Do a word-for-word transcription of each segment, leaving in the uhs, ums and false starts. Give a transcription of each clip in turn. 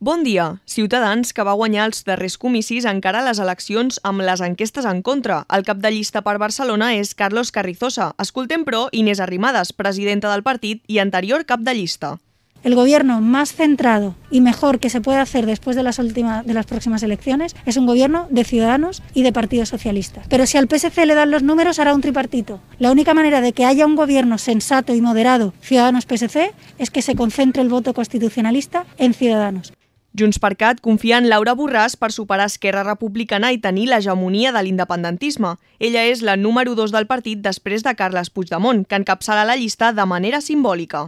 Bon dia. Ciutadans, que va guanyar els darrers comicis, encara les eleccions amb les enquestes en contra. El cap de llista per Barcelona és Carlos Carrizosa. Escoltem, però, Inés Arrimadas, presidenta del partit i anterior cap de llista. El gobierno más centrado y mejor que se puede hacer después de las, últimas, de las próximas elecciones es un gobierno de Ciudadanos y de Partido Socialista. Pero si al P S C le dan los números, hará un tripartito. La única manera de que haya un gobierno sensato y moderado Ciudadanos-P S C es que se concentre el voto constitucionalista en Ciudadanos. JxCat confia en Laura Borràs per superar Esquerra Republicana i tenir l'hegemonia de l'independentisme. Ella és la número dos del partit després de Carles Puigdemont, que encapçala la llista de manera simbòlica.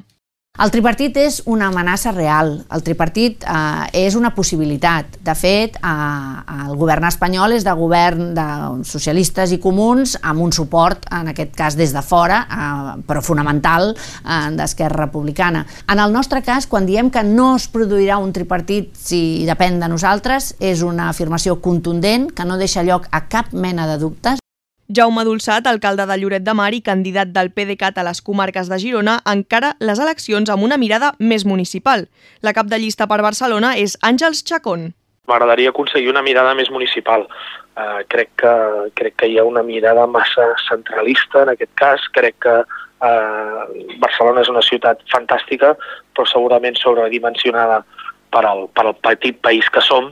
El tripartit és una amenaça real, el tripartit eh, és una possibilitat. De fet, eh, el govern espanyol és de govern de socialistes i comuns amb un suport, en aquest cas des de fora, eh, però fonamental, eh, d'Esquerra Republicana. En el nostre cas, quan diem que no es produirà un tripartit si depèn de nosaltres, és una afirmació contundent que no deixa lloc a cap mena de dubtes. Jaume Dolçat, alcalde de Lloret de Mar i candidat del PDeCAT a les comarques de Girona, encara les eleccions amb una mirada més municipal. La cap de llista per Barcelona és Àngels Chacón. M'agradaria aconseguir una mirada més municipal. Uh, crec, que, crec que hi ha una mirada massa centralista en aquest cas. Crec que uh, Barcelona és una ciutat fantàstica, però segurament sobredimensionada per al, per al petit país que som,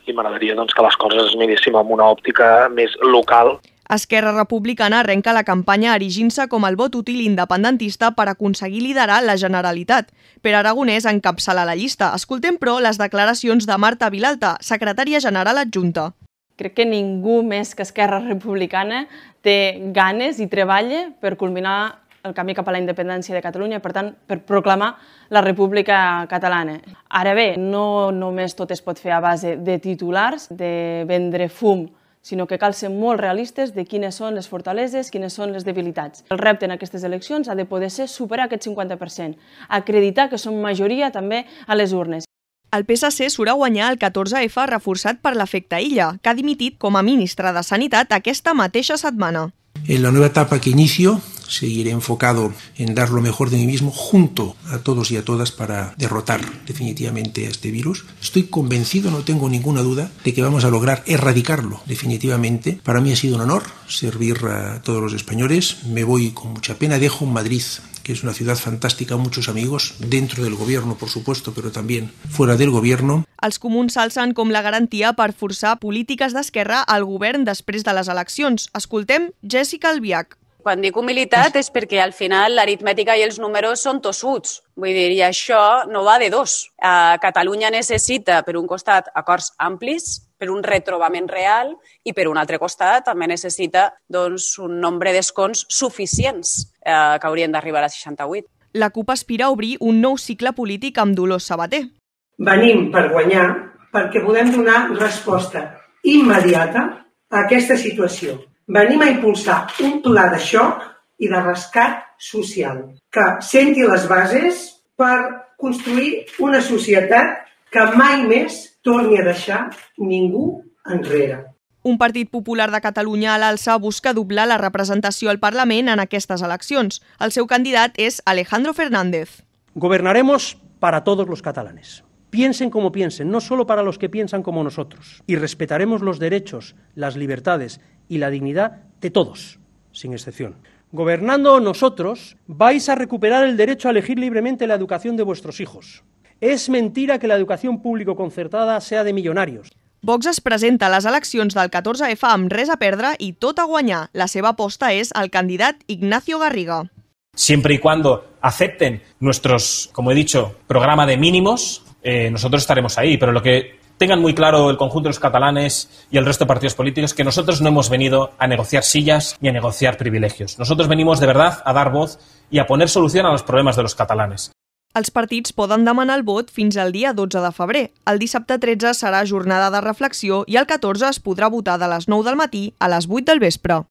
i m'agradaria doncs, que les coses es miréssim amb una òptica més local. Esquerra Republicana arrenca la campanya erigint-se com el vot útil independentista per aconseguir liderar la Generalitat. Pere Aragonès encapçala la llista. Escoltem, però, les declaracions de Marta Vilalta, secretària general adjunta. Crec que ningú més que Esquerra Republicana té ganes i treballa per culminar el camí cap a la independència de Catalunya i, per tant, per proclamar la República Catalana. Ara bé, no només tot es pot fer a base de titulars, de vendre fum, sinó que cal ser molt realistes de quines són les fortaleses, quines són les debilitats. El repte en aquestes eleccions ha de poder ser superar aquest cinquanta per cent, acreditar que som majoria també a les urnes. El P S C surt a guanyar el catorze efa reforçat per l'efecte Illa, que ha dimitit com a ministre de Sanitat aquesta mateixa setmana. En la nueva etapa que inicio, seguiré enfocado en dar lo mejor de mí mismo junto a todos y a todas para derrotar definitivamente a este virus. Estoy convencido, no tengo ninguna duda, de que vamos a lograr erradicarlo definitivamente. Para mí ha sido un honor servir a todos los españoles. Me voy con mucha pena, dejo Madrid, que es una ciudad fantástica, muchos amigos, dentro del gobierno, por supuesto, pero también fuera del gobierno. Els comuns s'alcen com la garantia per forçar polítiques d'esquerra al govern després de les eleccions. Escoltem Jessica Albiach. Quan dic humilitat és perquè al final l'aritmètica i els números són tossuts. Vull dir, i això no va de dos. Uh, Catalunya necessita, per un costat, acords amplis, per un retrobament real, i per un altre costat també necessita doncs, un nombre d'escons suficients uh, que haurien d'arribar a seixanta-vuit. La CUP aspira a obrir un nou cicle polític amb Dolors Sabater. Venim per guanyar perquè volem donar resposta immediata a aquesta situació. Venim a impulsar un pla de xoc i de rescat social que senti les bases per construir una societat que mai més torni a deixar ningú enrere. Un Partit Popular de Catalunya a l'alça busca doblar la representació al Parlament en aquestes eleccions. El seu candidat és Alejandro Fernández. Gobernaremos para todos los catalanes. Piensen como piensen, no solo para los que piensan como nosotros. Y respetaremos los derechos, las libertades y la dignidad de todos, sin excepción. Gobernando nosotros, vais a recuperar el derecho a elegir libremente la educación de vuestros hijos. Es mentira que la educación público concertada sea de millonarios. Vox es presenta a les eleccions del catorze efa amb res a perdre i tot a guanyar. La seva aposta és el candidat Ignacio Garriga. Siempre y cuando acepten nuestros, como he dicho, programa de mínimos, eh, nosotros estaremos ahí, pero lo que tengan muy claro el conjunto de los catalanes y el resto de partidos políticos que nosotros no hemos venido a negociar sillas ni a negociar privilegios. Nosotros venimos de verdad a dar voz y a poner solución a los problemas de los catalanes. Els partits poden demanar el vot fins al dia dotze de febrer. El dissabte tretze serà jornada de reflexió i el catorze es podrà votar de les nou del matí a les vuit del vespre.